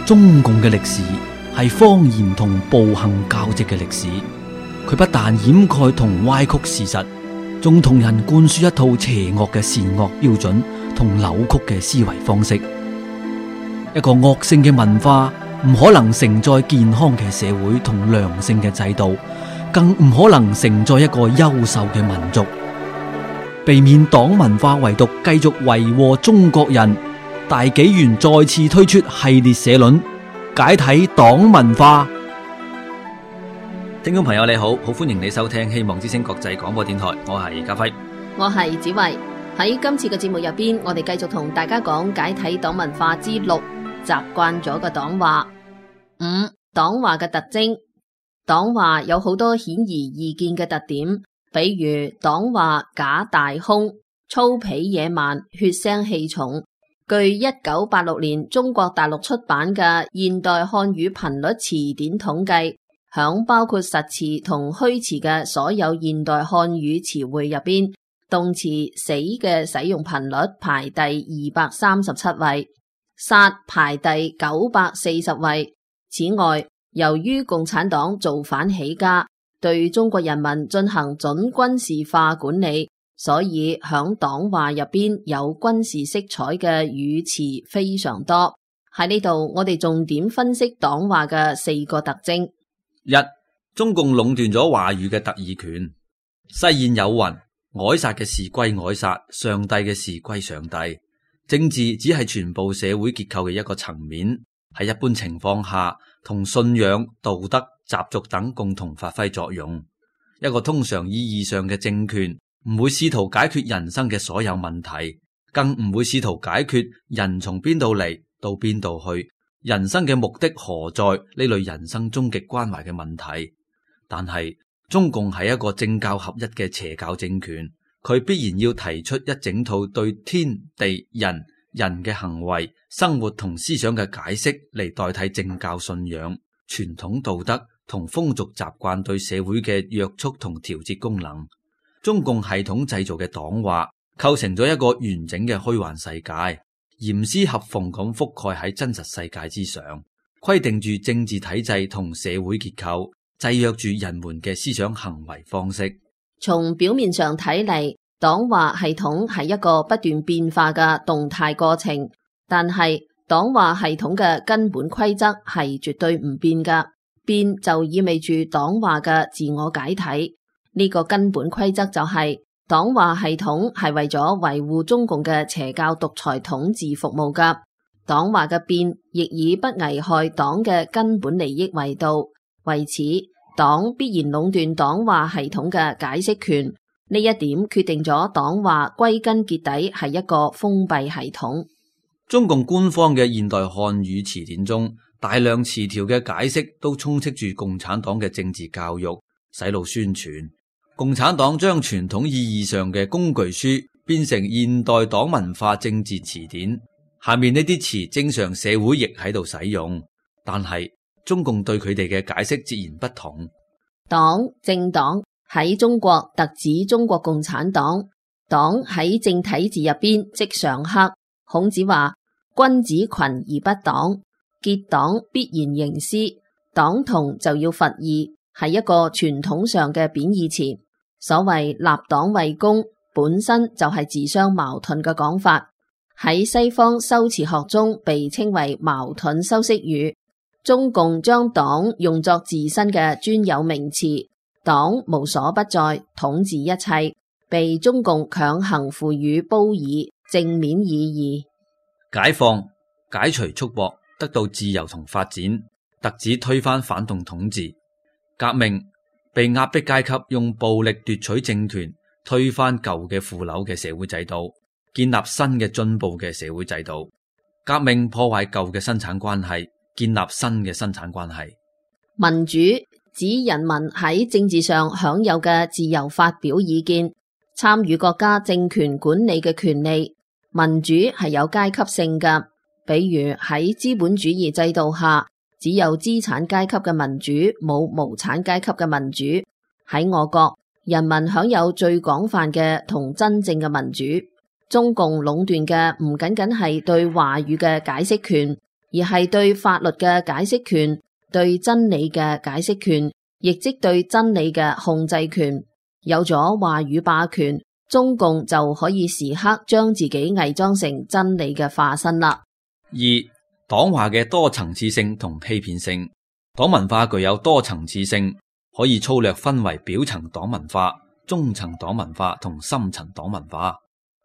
中共嘅歷史係謊言同暴行交織嘅歷史，佢不但掩蓋同歪曲事實，仲同人灌輸一套邪惡嘅善惡標準同扭曲嘅思維方式。一個惡性嘅文化唔可能承載健康嘅社會同良性嘅制度，更唔可能承載一個優秀嘅民族。避免黨文化遺毒繼續為禍中國人，大紀元再次推出系列社論，解體黨文化。聽眾朋友你好，好歡迎你收聽希望之聲國際廣播電台，我係家輝，我係子慧。喺今次嘅節目入邊，我哋繼續同大家講解體黨文化之6，習慣咗嘅黨話。5、黨話嘅特徵。黨話有好多顯而易見嘅特點，比如黨話假大空、粗鄙野蠻、血腥氣重。據1986年中國大陸出版嘅現代漢語頻率詞典統計，響包括實詞同虛詞嘅所有現代漢語詞彙入邊，動詞死嘅使用頻率排第237位，殺排第940位。此外，由於共產黨造反起家，對中國人民進行準軍事化管理，所以響黨話入邊有軍事色彩嘅語詞非常多。喺呢度，我哋重點分析黨話嘅4個特徵。1、中共壟斷咗話語嘅特異權。世諺有云：凱撒嘅事歸凱撒，上帝嘅事歸上帝。政治只係全部社會結構嘅一個層面，喺一般情況下，同信仰、道德、習俗等共同發揮作用。一個通常意義上嘅政權唔會試圖解決人生嘅所有問題，更唔會試圖解決人從邊度嚟到邊度去，人生嘅目的何在呢類人生終極關懷嘅問題。但係中共係一個政教合一嘅邪教政權，佢必然要提出一整套對天地人嘅行為、生活同思想嘅解釋嚟代替政教信仰、傳統道德同風俗習慣對社會嘅約束同調節功能。中共系統製造嘅黨話構成咗一個完整嘅虛幻世界，嚴絲合縫咁覆蓋喺真實世界之上，規定住政治體制同社會結構，制約住人們嘅思想行為方式。從表面上睇嚟，黨話系統係一個不斷變化嘅動態過程，但係黨話系統嘅根本規則係絕對唔變㗎，變就意味住黨話嘅自我解體。呢個根本規則就係黨話系統係為咗維護中共嘅邪教獨裁統治服務㗎，黨話嘅變亦以不危害黨嘅根本利益為度，為此黨必然壟斷黨話系統嘅解釋權。呢一點決定咗黨話歸根結底係一個封閉系統。中共官方嘅現代漢語詞典中，大量詞條嘅解釋都充斥住共產黨嘅政治教育、洗腦宣傳。共產黨將傳統意義上嘅工具書變成現代黨文化政治詞典，下面呢啲詞正常社會亦喺度使用，但係中共對佢哋嘅解釋截然不同。黨、政黨喺中國特指中國共產黨，黨喺正體字入邊即上克。孔子話：君子群而不黨，結黨必然形屍。黨同就要伐異，係一個傳統上嘅貶義詞。所謂立黨為公，本身就係自相矛盾嘅講法，喺西方修辭學中被稱為矛盾修飾語。中共將黨用作自身嘅專有名詞，黨無所不在，統治一切，被中共強行賦予褒義正面意義。解放、解除束縛，得到自由同發展，特指推翻反動統治。革命，被壓迫階級用暴力奪取政權，推翻舊嘅腐朽嘅社會制度，建立新嘅進步嘅社會制度。革命破壞舊嘅生產關係，建立新嘅生產關係。民主指人民喺政治上享有嘅自由發表意見，參與國家政權管理嘅權利。民主係有階級性嘅，比如喺資本主義制度下，只有資產階級嘅民主，冇無產階級嘅民主。喺我國，人民享有最廣泛嘅同真正嘅民主。中共壟斷嘅唔僅僅係對話語嘅解釋權，而係對法律嘅解釋權、對真理嘅解釋權，亦即對真理嘅控制權。有咗話語霸權，中共就可以時刻將自己偽裝成真理嘅化身啦。二、黨話嘅多層次性同欺騙性。黨文化具有多層次性，可以粗略分為表層黨文化、中層黨文化同深層黨文化。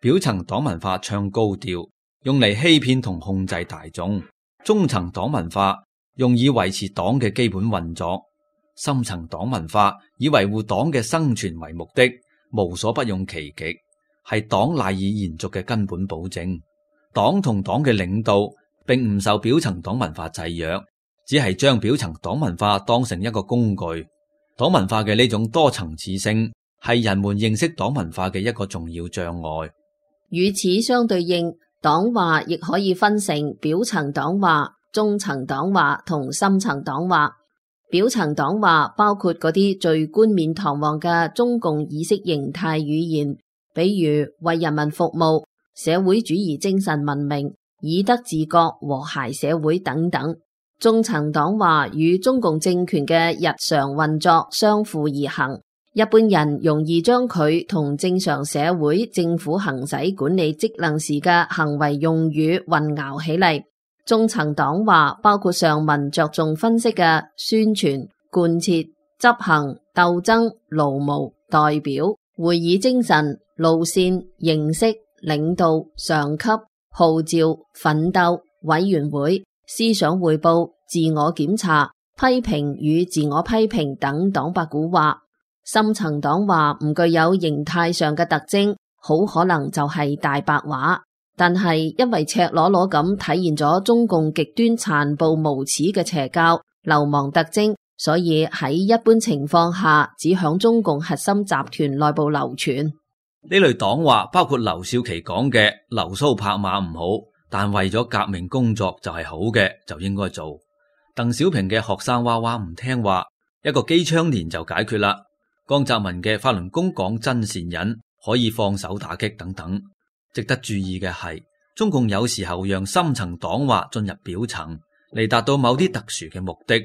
表層黨文化唱高調，用嚟欺騙同控制大眾；中層黨文化用以維持黨嘅基本運作；深層黨文化以維護黨嘅生存為目的，無所不用其極，係黨賴以延續嘅根本保證。黨同黨嘅領導並唔受表層黨文化制約，只係將表層黨文化當成一個工具。黨文化嘅呢種多層次性係人們認識黨文化嘅一個重要障礙。與此相對應，黨話亦可以分成表層黨話、中層黨話同深層黨話。表層黨話包括嗰啲最冠冕堂皇嘅中共意識形態語言，比如為人民服務、社會主義精神文明、以德治國、和諧社會等等。中層黨話與中共政權嘅日常運作相輔而行，一般人容易將佢同正常社會政府行使管理職能時嘅行為用語混淆起嚟。中層黨話包括上文着重分析嘅宣傳、貫徹、執行、鬥爭、勞模、代表、會議精神、路線、形式、領導、上級、號召、奮鬥、委員會、思想匯報、自我檢查、批評與自我批評等黨八股話。深層黨話唔具有形態上嘅特徵，好可能就係大白話，但係因為赤裸裸咁體現咗中共極端殘暴無恥嘅邪教、流氓特徵，所以喺一般情況下只響中共核心集團內部流傳。呢類黨話包括劉少奇講嘅留鬚拍馬唔好，但為咗革命工作就係好嘅，就應該做。鄧小平嘅學生娃娃唔聽話，一個機槍連就解決啦。江澤民嘅法輪功講真善忍，可以放手打擊等等。值得注意嘅係，中共有時候讓深層黨話進入表層，嚟達到某啲特殊嘅目的，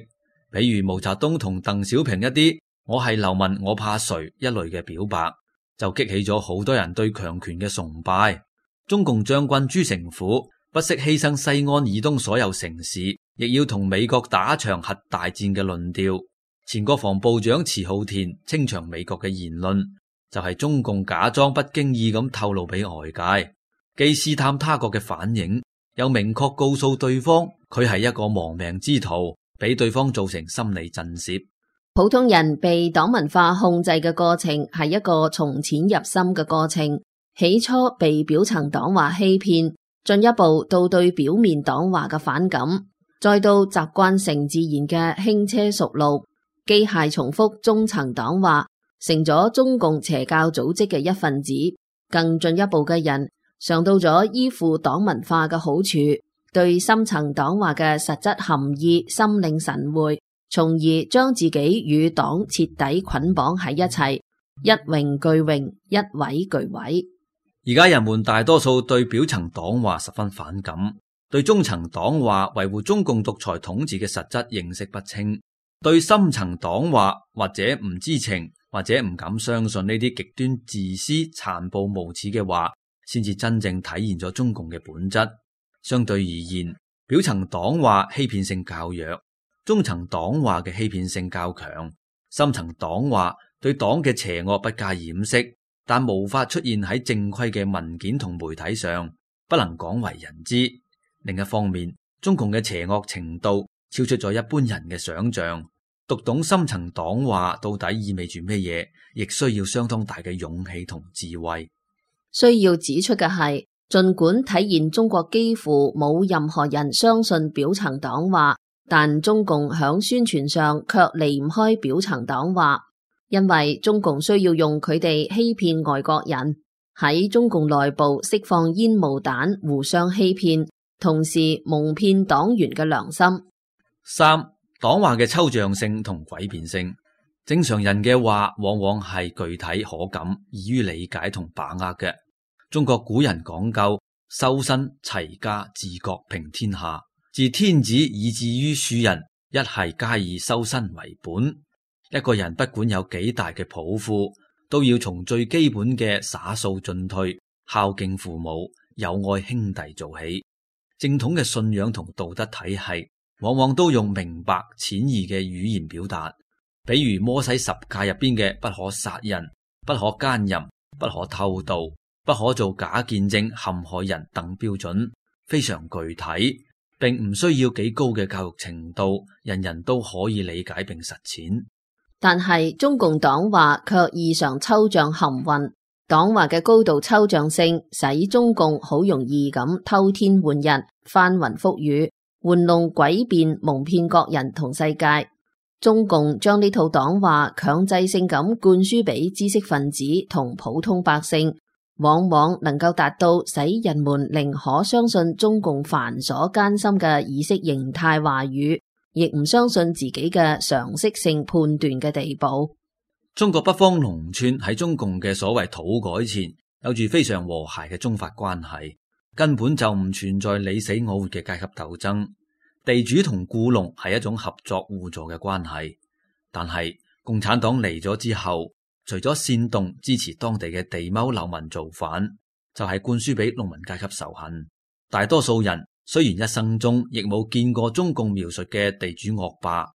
比如毛澤東同鄧小平一啲我係流民我怕誰一類嘅表白，就激起咗好多人對強權嘅崇拜。中共將軍朱成虎不惜犧牲西安以東所有城市，亦要同美國打場核大戰嘅論調。前國防部長遲浩田清場美國嘅言論，就係中共假裝不經意咁透露俾外界，既試探他國嘅反應，又明確告訴對方佢係一個亡命之徒，俾對方造成心理震懾。普通人被黨文化控制嘅過程係一個從淺入深嘅過程，起初被表層黨話欺騙，進一步到對表面黨話嘅反感，再到習慣成自然嘅輕車熟路，機械重複中層黨話，成咗中共邪教組織嘅一份子。更進一步嘅人嘗到咗依附黨文化嘅好處，對深層黨話嘅實質含義心領神會，從而將自己與黨徹底捆綁喺一齊，一榮俱榮，一毀俱毀。而家人們大多數對表層黨話十分反感，對中層黨話維護中共獨裁統治嘅實質認識不清，對深層黨話或者唔知情，或者唔敢相信呢啲極端自私、殘暴無恥嘅話，先至真正體現咗中共嘅本質。相對而言，表層黨話欺騙性較弱，中層黨話嘅欺騙性較強，深層黨話對黨嘅邪惡不加掩飾，但無法出現喺正規嘅文件同媒體上，不能廣為人知。另一方面，中共嘅邪惡程度超出咗一般人嘅想象，讀懂深層黨話到底意味住咩嘢，亦需要相當大嘅勇氣同智慧。需要指出嘅係，儘管體現中國幾乎冇任何人相信表層黨話，但中共響宣傳上卻離唔開表層黨話，因為中共需要用佢哋欺騙外國人，喺中共內部釋放煙霧彈，互相欺騙，同時蒙騙黨員嘅良心。三、黨話嘅抽象性同詭辯性。正常人嘅話往往係具體可感，易於理解同把握嘅。中國古人講究修身齊家治國平天下，自天子以至於庶人，一係皆以修身為本。一個人不管有幾大嘅抱負，都要從最基本嘅灑掃進退、孝敬父母、友愛兄弟做起。正統嘅信仰同道德體系，往往都用明白淺易嘅語言表達，比如摩西十誡入邊嘅不可殺人、不可奸淫、不可偷盜、不可做假見證陷害人等標準，非常具體，並唔需要幾高嘅教育程度，人人都可以理解並實踐。但係中共黨話卻異常抽象含混，黨話嘅高度抽象性使中共好容易咁偷天換日、翻雲覆雨、玩弄詭辯、蒙騙國人同世界。中共將呢套黨話強制性咁灌輸俾知識分子同普通百姓，往往能夠達到使人們寧可相信中共繁瑣艱深嘅意識形態話語，亦唔相信自己嘅常識性判斷嘅地步。中國北方農村喺中共嘅所謂土改前，有住非常和諧嘅宗法關係，根本就唔存在你死我活嘅階級鬥爭。地主同僱農係一種合作互助嘅關係。但係共產黨嚟咗之後，除咗煽動支持當地嘅地踎流民造反，就係灌輸俾農民階級仇恨。大多數人雖然一生中亦冇見過中共描述嘅地主惡霸，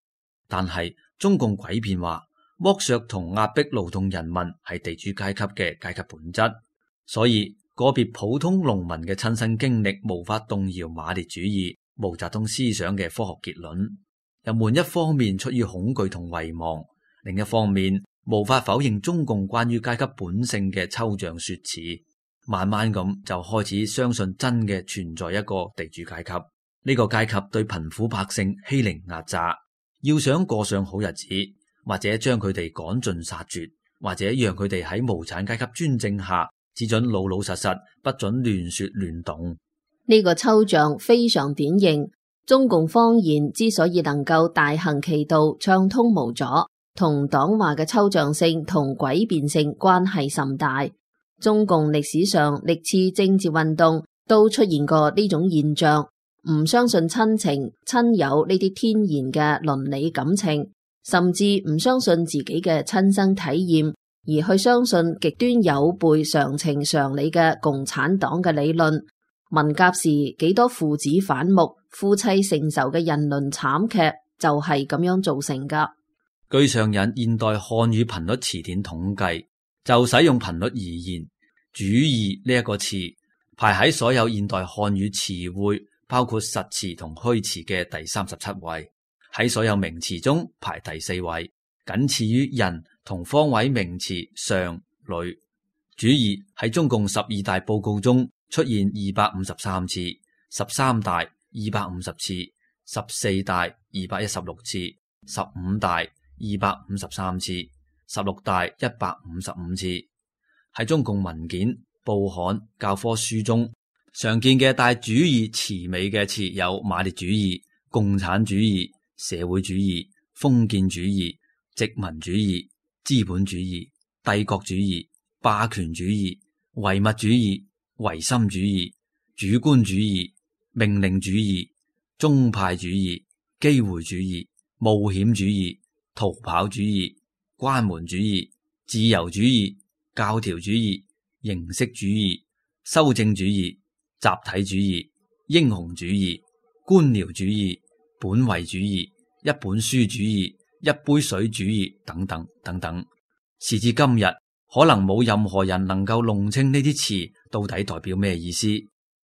但係中共詭辯話剝削同壓迫勞動人民係地主階級嘅階級本質，所以個別普通農民嘅親身經歷無法動搖馬列主義、毛澤東思想嘅科學結論。人們一方面出於恐懼同遺忘，另一方面無法否認中共關於階級本性嘅抽象說辭，慢慢咁就開始相信真嘅存在一個地主階級。呢個階級對貧苦百姓欺凌壓榨，要想過上好日子，或者將佢哋趕盡殺絕，或者讓佢哋喺無產階級專政下只准老老實實，不准亂說亂動。呢個抽象非常典型。中共方言之所以能夠大行其道、暢通無阻，同黨話嘅抽象性同詭辯性關係甚大。中共歷史上歷次政治運動都出現過呢種現象，唔相信親情、親友呢啲天然嘅倫理感情，甚至唔相信自己嘅親身體驗，而去相信極端有悖常情常理嘅共產黨嘅理論。文革時幾多父子反目、夫妻成仇嘅人倫慘劇就係咁樣造成噶。據上引現代漢語頻率詞典統計，就使用頻率而言，主義呢一個詞排喺所有現代漢語詞彙，包括實詞同虛詞嘅第37位，喺所有名詞中排第4位，僅次於人同方位名詞上、女。主義喺中共12大報告中出現253次，13大250次，14大216次，15大253次，16大155次。喺中共文件、報刊、教科書中常見嘅帶主義詞尾嘅詞有馬列主義、共產主義、社會主義、封建主義、殖民主義、資本主義、帝國主義、霸權主義、唯物主義、唯心主義、主觀主義、命令主義、宗派主義、機會主義、冒險主義、逃跑主義、關門主義、自由主義、教條主義、形式主義、修正主義、集體主義、英雄主義、官僚主義、本位主義、一本書主義、一杯水主義等等等等。時至今日，可能冇任何人能夠弄清呢啲詞到底代表咩意思，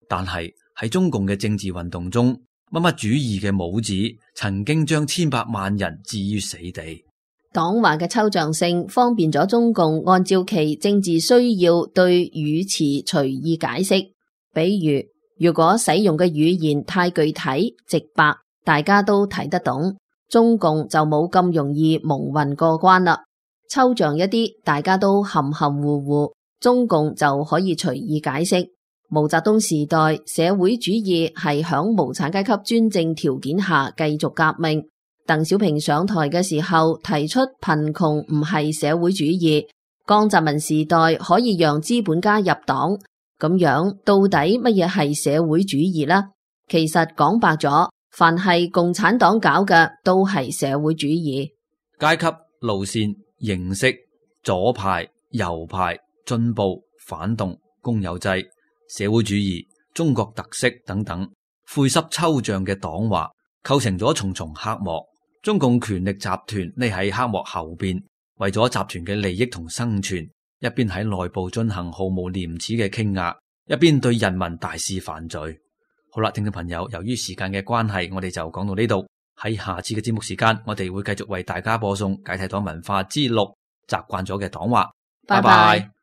但係喺中共嘅政治運動中，乜乜主義嘅帽子曾經將千百萬人置於死地。黨話嘅抽象性方便咗中共按照其政治需要對語詞隨意解釋，比如如果使用嘅語言太具體直白，大家都睇得懂，中共就冇咁容易蒙混過關啦。抽象一啲，大家都含含糊糊，中共就可以隨意解釋。毛澤東時代，社會主義係響無產階級專政條件下繼續革命。鄧小平上台嘅時候提出貧窮唔係社會主義。江澤民時代可以讓資本家入黨，咁樣到底乜嘢係社會主義呢？其實講白咗，凡係共產黨搞嘅都係社會主義。階級、路線、形式、左派、右派、進步、反動、公有制、社會主義、中國特色等等，晦澀抽象嘅黨話構成咗重重黑幕。中共權力集團匿喺黑幕後邊，為咗集團嘅利益同生存，一邊喺內部進行毫無廉恥嘅傾壓，一邊對人民大肆犯罪。好啦，聽眾朋友，由於時間嘅關係，我哋就講到呢度。喺下次嘅節目時間，我哋會繼續為大家播送解體黨文化之6習慣咗嘅黨話。拜拜。